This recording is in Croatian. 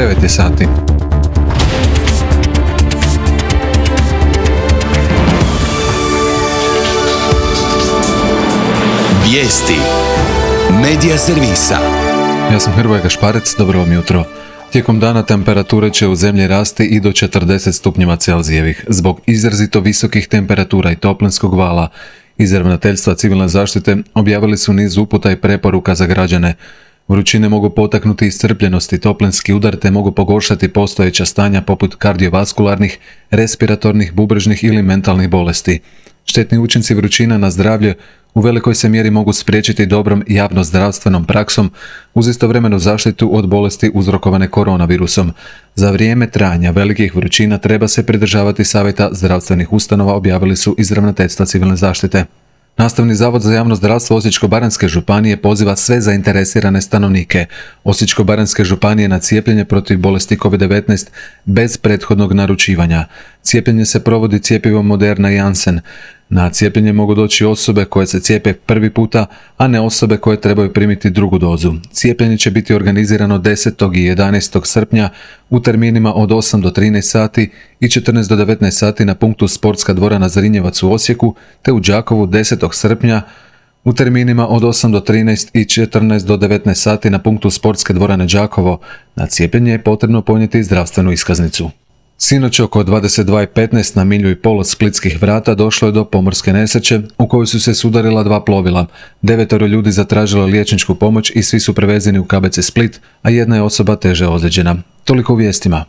9 je sati. Vijesti Medija servisa. Ja sam Hrvoje Gašparec, dobro vam jutro. Tijekom dana temperature će u zemlji rasti i do 40 stupnjeva Celzijevih. Zbog izrazito visokih temperatura i toplinskog vala, iz Ravnateljstva civilne zaštite objavili su niz uputa i preporuka za građane. Vrućine mogu potaknuti iscrpljenost i toplinski udar te mogu pogoršati postojeća stanja poput kardiovaskularnih, respiratornih, bubrežnih ili mentalnih bolesti. Štetni učinci vrućina na zdravlje u velikoj se mjeri mogu spriječiti dobrom javnozdravstvenom praksom uz istovremenu zaštitu od bolesti uzrokovane koronavirusom. Za vrijeme trajanja velikih vrućina treba se pridržavati savjeta zdravstvenih ustanova, objavili su iz Ravnateljstva civilne zaštite. Nastavni zavod za javno zdravstvo Osječko-baranjske županije poziva sve zainteresirane stanovnike Osječko-baranjske županije na cijepljenje protiv bolesti COVID-19 bez prethodnog naručivanja. Cijepljenje se provodi cjepivom Moderna i Janssen. Na cijepljenje mogu doći osobe koje se cijepe prvi puta, a ne osobe koje trebaju primiti drugu dozu. Cijepljenje će biti organizirano 10. i 11. srpnja u terminima od 8 do 13 sati i 14 do 19 sati na punktu Sportska dvorana Zrinjevac u Osijeku, te u Đakovu 10. srpnja u terminima od 8 do 13 i 14 do 19 sati na punktu Sportske dvorane Đakovo. Na cijepljenje je potrebno ponijeti zdravstvenu iskaznicu. Sinoć oko 22:15 na milju i pol od Splitskih vrata došlo je do pomorske nesreće u kojoj su se sudarila dva plovila. 9 ljudi zatražilo liječničku pomoć i svi su prevezeni u KBC Split, a jedna je osoba teže ozlijeđena. Toliko u vijestima.